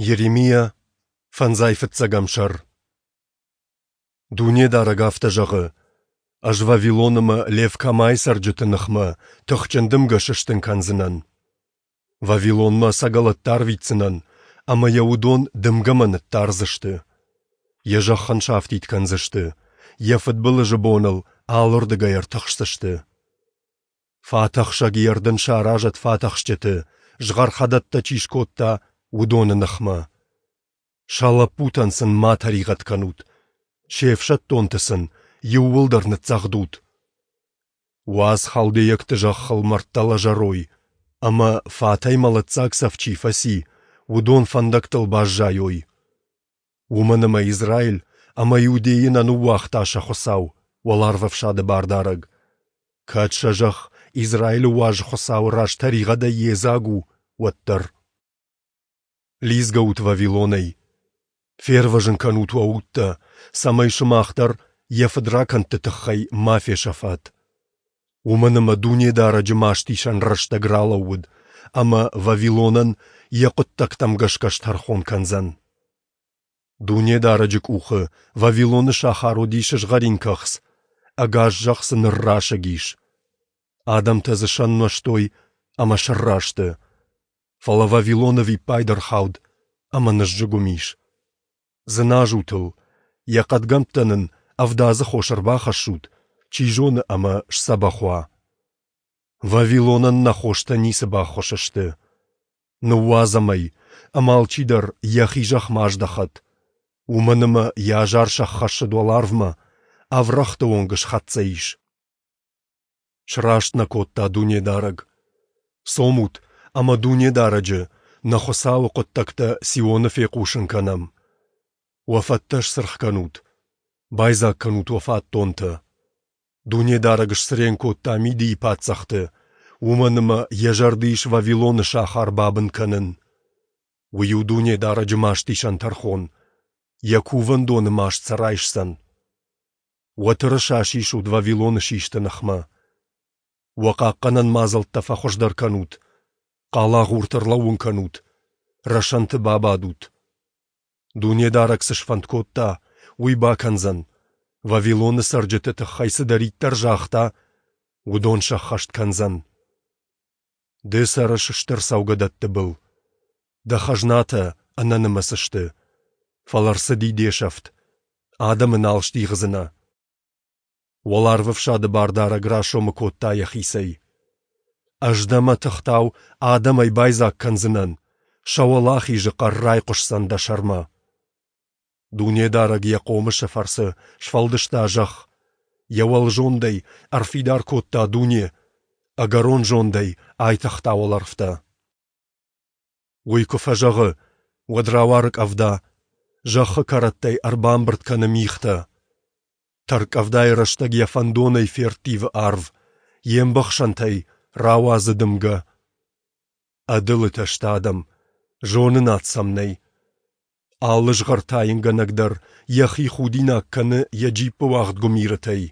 Йеремиа, фӕндзай фыццӕгӕм сӕр. Дунедарӕг афтӕ зӕгъы: Ӕз Вавилон ӕмӕ Лев-Камайы цӕрджыты ныхмӕ тыхджын дымгӕ сыстын кӕндзынӕн. Вавилонмӕ ӕцӕгӕлӕттӕ арвитдзынӕн, ӕмӕ йӕ уыдон дымгӕмӕ ныддардзысты. Йӕ зӕхх ын сафтид кӕндзысты, йӕ фыдбылызы бон ыл алырдыгӕй ӕртыхсдзысты. Фатӕхсӕг йе рдын саразӕд фатӕхсджыты, згъӕрхӕдӕттӕ чи скодта, уыдоны ныхмӕ. Сӕ лӕппутӕн сын ма тӕригъӕд кӕнут, се фсӕддонты сын иууылдӕр ныццӕгъдут. Уадз халдейӕгты зӕххыл мӕрдтӕ лӕзӕрой, ӕмӕ фатӕй мӕлӕтдзаг цӕф чи фӕци, уыдон фӕндӕгтыл баззайой. Уымӕн ӕмӕ Израиль ӕмӕ Иудейы нӕ ныууагъта сӕ Хуыцау, Уӕларвӕфсады Бардарӕг. Кӕд сӕ зӕхх Израилы уаз Хуыцауы раз тӕригъӕдӕй йедзаг у, уӕддӕр. Лидзгӕут Вавилонӕй! Фервӕзын кӕнут уӕ удтӕ, цӕмӕй сымах дӕр йӕ фыдракӕндты тыххӕй ма фесӕфат. Уымӕн ӕмӕ Дунедарӕджы мастисӕн рӕстӕг ралӕууыд, ӕмӕ Вавилонӕн йӕ хъуыддӕгтӕм гӕсгӕ стӕрхон кӕндзӕн. Дунедарӕджы къухы Вавилоны сахар уыди сызгъӕрин кӕхц, ӕгас зӕхх дзы ныррасыг ис. Адӕмтӕ дзы сӕн нуӕзтой ӕмӕ сӕрра сты. Фӕлӕ Вавилон ӕвиппайды ӕрхауд ӕмӕ ныззыгуым ис. Дзыназут ыл, йӕ хъӕдгӕмттӕн ын ӕвдадзы хос ӕрбахӕссут, чи зоны ӕмӕ сдзӕбӕх уа. Вавилонӕн нӕ хостӕ ницы баххуыс сты. Ныууадзӕм ӕй, ӕмӕ алчидӕр йӕхи зӕхмӕ аздӕхӕд. Уымӕн ӕмӕ йӕ азар сӕххӕссыд уӕларвмӕ, ӕврӕгъты онг схӕццӕ ис. Сраст нӕ кодта Дунедарӕг. Цомут ӕмӕ Дунедарӕджы, нӕ Хуыцауы хъуыддӕгтӕ Сионы фехъусын кӕнӕм. Уӕ фӕттӕ сцыргъ кӕнут, байдзаг кӕнут уӕ фатдонтӕ. Дунедарӕг сцырен кодта Мидийы паддзӕхты, уымӕн ӕмӕ йӕ зӕрды ис Вавилоны сахар бабын кӕнын. Уый у Дунедарӕджы мастисӕн тӕрхон, йӕ кувӕндоны маст сӕ райсдзӕн. Уӕ тырыса сисут Вавилоны систы ныхмӕ. Уӕ хъахъхъӕнӕн мадзӕлттӕ фӕхуыздӕр кӕнут, хъалагъурты ӕрлӕууын кӕнут, рӕсӕнты бабадут. Дунедарӕг цы сфӕнд кодта, уый бакӕндзӕн, Вавилоны цӕрджыты тыххӕй цыдӕриддӕр загъта, уыдон сӕххӕст кӕндзӕн. Ды цӕрыс стыр цӕугӕдӕтты был. Дӕ хӕзнатӕ ӕнӕнымӕц сты, фӕлӕ рцыди де сӕфт, адӕмы нал стигъдзынӕ. Уӕларвӕфсады Бардарӕг расомы кодта йӕхицӕй. Ӕз дӕ мӕтыхтау адӕмӕй байдзаг кӕндзынӕн, сӕ уӕлахизы хъӕр райхъуысдзӕн дӕ сӕрмӕ. Дунедарӕг йӕ хъомысы фӕрцы сфӕлдыста зӕхх, йӕ уӕлзондӕй ӕрфидар кодта дуне, ӕгӕрон зондӕй айтыгъта уӕлӕрвтӕ. Уый куы фӕзӕгъы, уӕд рауары къӕвда, зӕххы кӕрӕттӕй ӕрбамбырд кӕны мигътӕ. Тӕрккъӕвдайы рӕстӕг йӕ фӕндонӕй ферттивы арв, йе мбӕхсӕнтӕй рауадзы дымгӕ. Ӕдылытӕ сты адӕм, зонынад сӕм нӕй. Алы згъӕртайынгӕнӕг дӕр йӕхи худинаг кӕны йӕ джиппы уагъд гуымирытӕй,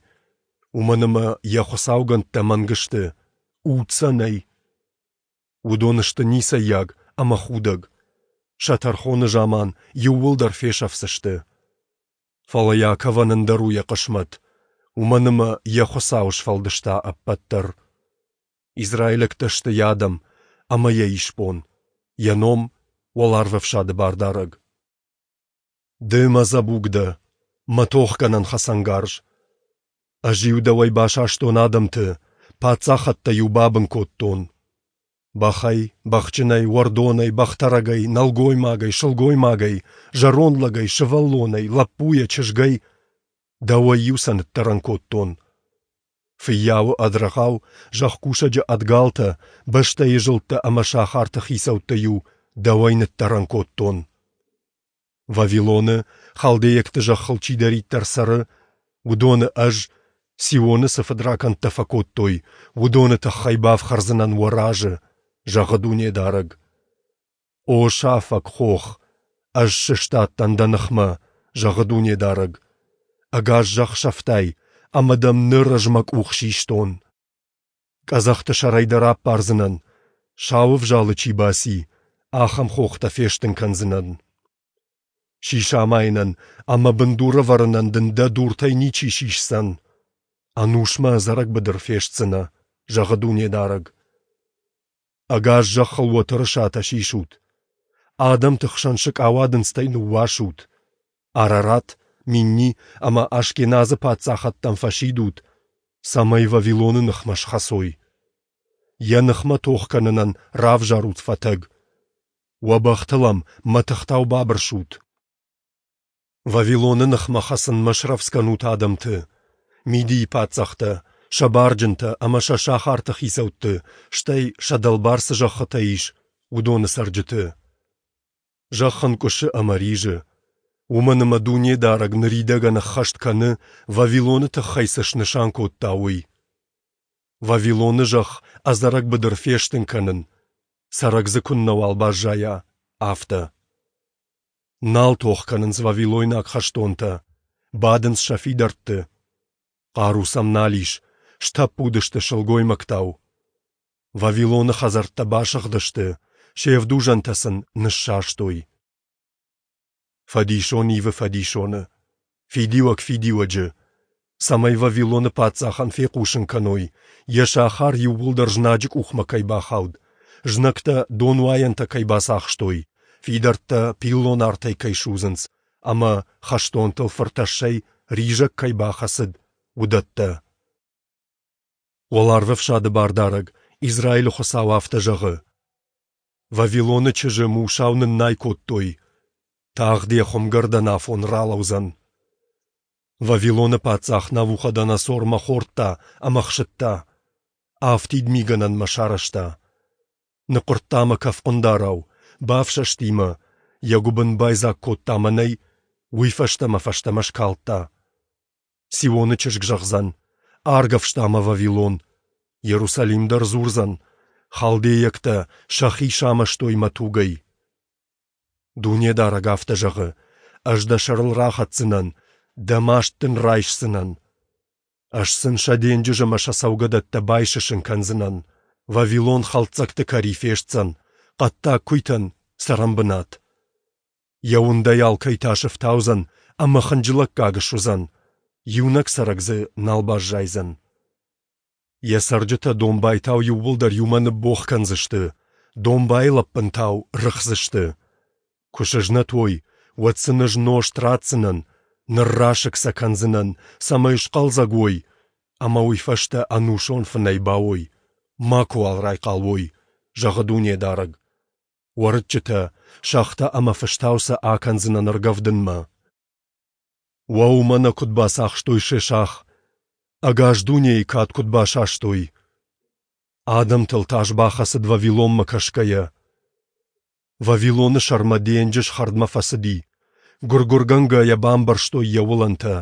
уымӕн ӕмӕ йӕ хуыцаугӕндтӕ мӕнг сты, уд сӕ нӕй. Уыдон сты ницӕййаг ӕмӕ худӕг. Сӕ тӕрхоны заман иууылдӕр фесӕфдзысты. Фӕлӕ Иаковӕн ӕндӕр у йӕ хъысмӕт, уымӕн ӕмӕ йӕ Хуыцау сфӕлдыста ӕппӕт дӕр. Израилӕгтӕ сты йӕ адӕм ӕмӕ йӕ исбон, йӕ ном — Уӕларвӕфсады Бардарӕг. Ды мӕ дзӕбуг дӕ, мӕ тохгӕнӕн хӕцӕнгарз. Ӕз-иу дӕуӕй басастон адӕмты, паддзахӕдтӕ-иу бабын кодтон. Бӕхӕй, бӕхджынӕй, уӕрдонӕй, бӕхтӕрӕгӕй, нӕлгоймагӕй, сылгоймагӕй, зӕронд лӕгӕй, сывӕллонӕй, лӕппуйӕ, чызгӕй дӕуӕй-иу сӕ ныддӕрӕн кодтон. Фыййауы ӕд рӕгъау, зӕхкусӕджы ӕд галтӕ, бӕстӕйы зылдтӕ ӕмӕ сахарты хицӕуттӕ-иу дӕуӕй ныддӕрӕн кодтон. Вавилоны, халдейӕгты зӕххыл чидӕриддӕр цӕры, уыдоны ӕз, Сионы цы фыдракӕндтӕ фӕкодтой, уыдоны тыххӕй бафхӕрдзынӕн уӕ разы, зӕгъы Дунедарӕг. О сафӕг хох, ӕз сыстадтӕн дӕ ныхмӕ, зӕгъы Дунедарӕг. Ӕгас зӕхх сӕфтай, ӕмӕ дӕм ныр ӕз мӕ къух систон. Къӕдзӕхты сӕрӕй дӕ раппардзынӕн, сау ӕвзалы чи баци, ахӕм хох дӕ фестын кӕндзынӕн. Сис амайынӕн ӕмӕ бындур ӕвӕрынӕн дын дӕ дуртӕй ничи сисдзӕн. Ӕнусмӕ ӕдзӕрӕг быдыр фестдзынӕ, зӕгъы Дунедарӕг. Ӕгас зӕххыл уӕ тырысатӕ сисут. Адӕмты хсӕн сыкъауадындзтӕй ныууасут. Арарат, Минни ӕмӕ Ашкеназы паддзахӕдтӕм фӕсидут, цӕмӕй Вавилоны ныхмӕ схӕцой. Йӕ ныхмӕ тох кӕнынӕн равзарут фӕтӕг. Уӕ бӕхтыл ӕм мӕтыхтау бабырсут. Вавилоны ныхмӕ хӕцынмӕ срӕвдз кӕнут адӕмты, Мидийы паддзӕхтӕ, сӕ барджынтӕ ӕмӕ сӕ сахарты хицӕутты, стӕй, сӕ дӕлбар цы зӕххытӕ ис, уыдоны цӕрджыты. Зӕхх ӕнкъуысы ӕмӕ ризы, уымӕн ӕмӕ Дунедарӕг ныридӕгӕн ӕххӕст кӕны, Вавилоны тыххӕй цы снысан кодта, уый. Вавилоны зӕхх ӕдзӕрӕг быдыр фестын кӕнын, цӕрӕг дзы куыннӕуал баззайа, афтӕ. Нал тох кӕнынц вавилойнаг хӕстонтӕ, бадынц сӕ фидӕртты. Хъару сӕм нал ис, стӕппуд сты сылгоймӕгтау. Вавилоны хӕдзӕрттӕ басыгъдысты, се вдузӕнтӕ сын ныссӕстой. Фӕдисон ивы фӕдисоны, фидиуӕг фидиуӕджы, цӕмӕй Вавилоны паддзахӕн фехъусын кӕной, йӕ сахар иууылдӕр знаджы къухмӕ кӕй бахауд, знӕгтӕ донуайӕнтӕ кӕй бацахстой, фидӕрттӕ пиллон артӕй кӕй судзынц ӕмӕ хӕстонтыл фыртӕссӕй ризӕг кӕй бахӕцыд, уыдӕттӕ. Уӕларвӕфсады Бардарӕг, Израилы Хуыцау афтӕ зӕгъы: Вавилоны чызджы мусау ныннай кодтой, тагъд йӕ хуымгӕрдӕн афон ралӕудзӕн. Вавилоны паддзах Навуходоносор мӕ хордта ӕмӕ хсыдта, афтид мигӕнӕн мӕ сарӕзта. Ныхъуырдта мӕ кӕфхъуындарау, бафсӕсти мӕ, йӕ гуыбын байдзаг кодта мӕнӕй, уый фӕстӕ мӕ фӕстӕмӕ скалдта. Сионы чызг зӕгъдзӕн, Аргӕвста мӕ Вавилон. Иерусалим дӕр дзурдзӕн, Халдейӕгтӕ сӕхи самӕстой мӕ тугӕй. Дунедарӕг афтӕ зӕгъы, Ӕз дӕ сӕрыл рахӕцдзынӕн, дӕ маст дын райсдзынӕн. Ӕз сын сӕ денджыз ӕмӕ сӕ цӕугӕдӕттӕ байсысын кӕндзынӕн. Вавилон хӕлддзӕгты кӕри фестдзӕн, хъӕддаг куыйтӕн цӕрӕнбынат. Йӕ уындӕй алкӕй тас ӕфтаудзӕн ӕмӕ хынджылӕггаг суыдзӕн, иунӕг цӕрӕг дзы нал баззайдзӕн. Йӕ цӕрджытӕ домбайтау иууылдӕр иумӕ ныббогъ кӕндзысты, домбайы лӕппынтау рыхдзысты. Куы сызнӕт уой, уӕд сын ӕз нозт ратдзынӕн, ныррасыг сӕ кӕндзынӕн, цӕмӕй схъӕлдзӕг уой, ӕмӕ уый фӕстӕ ӕнусон фынӕй бауой, макуыуал райхъал уой, зӕгъы Дунедарӕг. Уӕрыччытӕ, сӕгътӕ ӕмӕ фыстау сӕ акӕндзынӕн ӕргӕвдынмӕ. Уӕуу, мӕнӕ куыд бацахстой Шешах! Ӕгас дунейы кад куыд басастой! Адӕмтыл тас бахӕцыд Вавилонмӕ кӕсгӕйӕ. Вавилоны сӕрмӕ денджыз хӕрдмӕ фӕцыди, гуыр-гуыргӕнгӕ йӕ бамбӕрзтой йӕ уылӕнтӕ.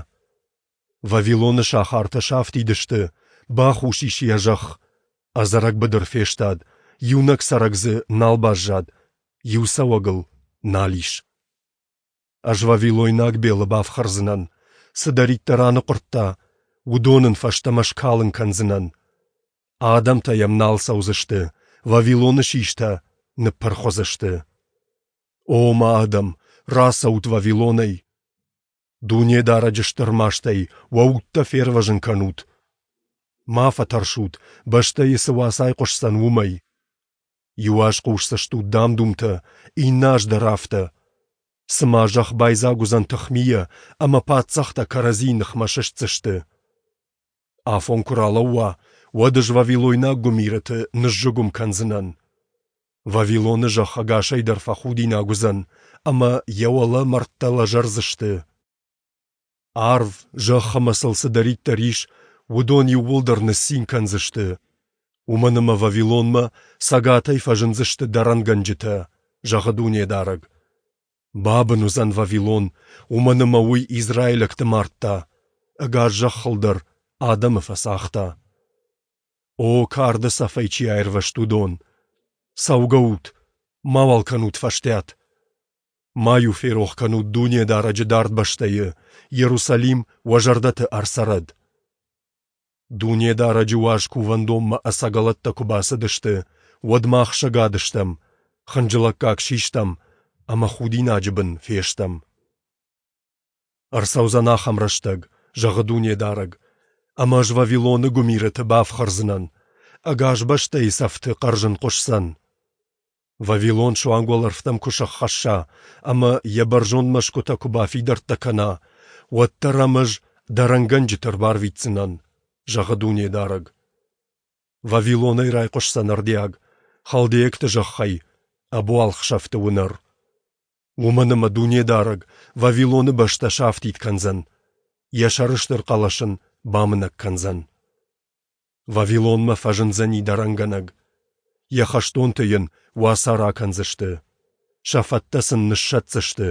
Вавилоны сахартӕ сафтид сты, бахус ис йӕ зӕхх, ӕдзӕрӕг быдыр фестад, иунӕг цӕрӕг дзы нал баззад, иу цӕуӕг ыл нал ис. Ӕз вавилойнаг Белы бафхӕрдзынӕн, цыдӕриддӕр аныхъуырдта, уыдон ын фӕстӕмӕ скалын кӕндзынӕн. Адӕмтӕ йӕм нал цӕудзысты, Вавилоны систӕ ныппырх уыдзысты. О мӕ адӕм, рацӕут Вавилонӕй! Дунедарӕджы стыр мастӕй уӕ удтӕ фервӕзын кӕнут. Ма фӕтӕрсут, бӕстӕйы цы уац айхъуысдзӕн, уымӕй. Иу аз хъусдзыстут дам-думтӕ, иннӕ аз дӕр афтӕ. Цыма зӕхх байдзаг уыдзӕн тыхмийӕ, ӕмӕ паддзӕхтӕ кӕрӕдзийы ныхмӕ сыстдзысты. Афон куы ралӕууа, уӕд ӕз вавилойнаг гуымирыты ныззыгуым кӕндзынӕн. Вавилоны зӕхх ӕгасӕй дӕр фӕхудинаг уыдзӕн, ӕмӕ йӕ уӕлӕ мӕрдтӕ лӕзӕрдзысты. Арв, зӕхх ӕмӕ сыл цыдӕриддӕр ис, уыдон иууылдӕр ныццин кӕндзысты, уымӕн ӕмӕ Вавилонмӕ цӕгатӕй фӕзындзысты дӕрӕнгӕнджытӕ, зӕгъы Дунедарӕг. Бабын уыдзӕн Вавилон, уымӕн ӕмӕ уый израилӕгты мардта, ӕгас зӕххыл дӕр адӕмы фӕцагъта. О, карды цӕфӕй чи аирвӕзт, уыдон! Цӕугӕут, мауал кӕнут фӕстиат! Ма-иу ферох кӕнут Дунедарӕджы дард бӕстӕйы, Иерусалим уӕ зӕрдӕты ӕрцӕрӕд. Дунедарӕджы уаз кувӕндонмӕ ӕцӕгӕлӕттӕ куы бацыдысты, уӕд мах сӕгад стӕм. Хынджылӕггаг систӕм ӕмӕ худинаджы бын фестӕм. Ӕрцӕудзӕн ахӕм рӕстӕг, зӕгъы Дунедарӕг, ӕмӕ Ӕз Вавилоны гуымирыты бафхӕрдзынӕн, ӕгас бӕстӕйы сӕфты хъӕрзын хъуысдзӕн. Вавилон суанг уӕлӕрвтӕм куы сӕххӕсса ӕмӕ йӕ бӕрзонд мӕсгуытӕ куы бафидӕрттӕ кӕна, уӕддӕр ӕм Ӕз дӕрӕнгӕнджыты ӕрбарвитдзынӕн, зӕгъы Дунедарӕг. Вавилонӕй райхъуысдзӕн ӕрдиаг, халдейӕгты зӕххӕй, ӕбуалгъ сӕфты уынӕр. Уымӕн ӕмӕ Дунедарӕг Вавилоны бӕстӕ сафтид кӕндзӕн, йӕ сӕрыстыр хъӕлӕс ын бамынӕг кӕндзӕн. Вавилонмӕ фӕзындзӕни дӕрӕнгӕнӕг, йӕ хӕстонты йын уацары акӕндзысты, сӕ фӕттӕ сын ныссӕтдзысты,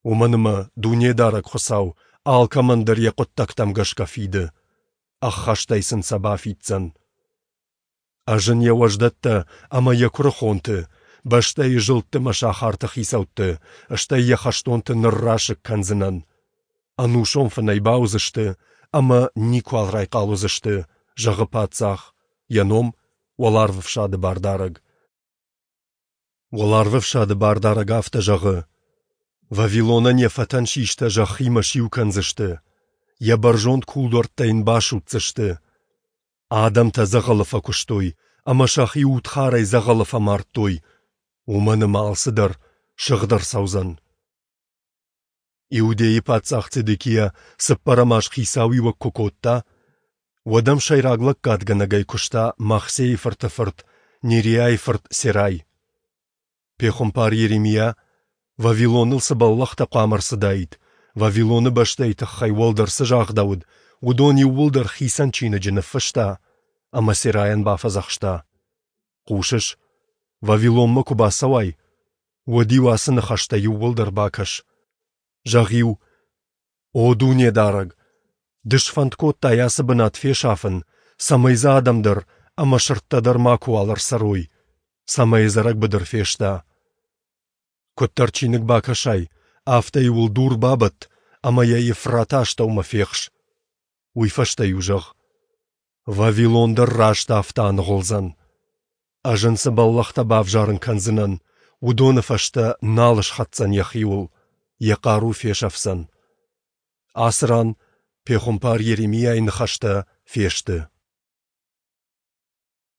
уымӕн ӕмӕ Дунедарӕг Хуыцау алкӕмӕн дӕр йӕ хъуыддӕгтӕм гӕсгӕ фиды, ӕххӕстӕй сын сӕ бафиддзӕн. Ӕз ын йӕ уӕздӕттӕ ӕмӕ йӕ куырыхонты, бӕстӕйы зылдты мӕ сахарты хицӕутты, стӕй йӕ хӕстонты ныррасыг кӕндзынӕн. Ӕнусон фынӕй бауыдзысты ӕмӕ никуал райхъал уыдзысты, зӕгъы паддзах, йӕ ном Уӕларвӕфсады Бардарӕг. Уӕларвӕфсады Бардарӕг афтӕ зӕгъы: Вавилонӕн йӕ фӕтӕн систӕ зӕххимӕ сиу кӕндзысты, йӕ бӕрзонд кулдуӕрттӕ йын басудздзысты. Адӕмтӕ дзӕгъӕлы фӕкуыстой ӕмӕ сӕхи удхарӕй дзӕгъӕлы фӕмардтой, уымӕн ӕмӕ алцыдӕр сыгъд ӕрцӕудзӕн. Иудейы паддзах Цедекиа цыппӕрӕм аз хицауиуӕг куы кодта, уӕд ӕм сӕйраг лӕггадгӕнӕгӕй куыста Махсейы фырты фырт Нериайы фырт Серай. Пехуымпар Йеремиа, Вавилоныл цы бӕллӕхтӕ хъуамӕ ӕрцыдаид, Вавилоны бӕстӕйы тыххӕй уӕлдӕр цы загъдӕуыд, уыдон иууылдӕр хицӕн чиныджы ныффыста ӕмӕ Серайӕн бафӕдзӕхста: Хъусыс, Вавилонмӕ куы бацӕуай, уӕд-иу ацы ныхӕстӕ иууылдӕр бакӕс. Зӕгъ-иу: О Дунедарӕг, Ды сфӕнд кодтай ацы бынат фесафын, цӕмӕй дзы адӕм дӕр ӕмӕ сырдтӕ дӕр макуыуал ӕрцӕрой, цӕмӕй ӕдзӕрӕг быдыр феста. Куыддӕр чиныг бакӕсай, афтӕ-иу ыл дур бабӕтт ӕмӕ йӕ Евфраты астӕумӕ фехс. Уый фӕстӕ-иу зӕгъ: Вавилон дӕр раст афтӕ аныгъуылдзӕн. Ӕз ын цы бӕллӕхтӕ бавзарын кӕндзынӕн, уыдоны фӕстӕ нал схӕцдзӕн йӕхиуыл, йӕ хъару фесӕфдзӕн. Ацы ран пехуымпар Йеремиайы ныхӕстӕ фесты.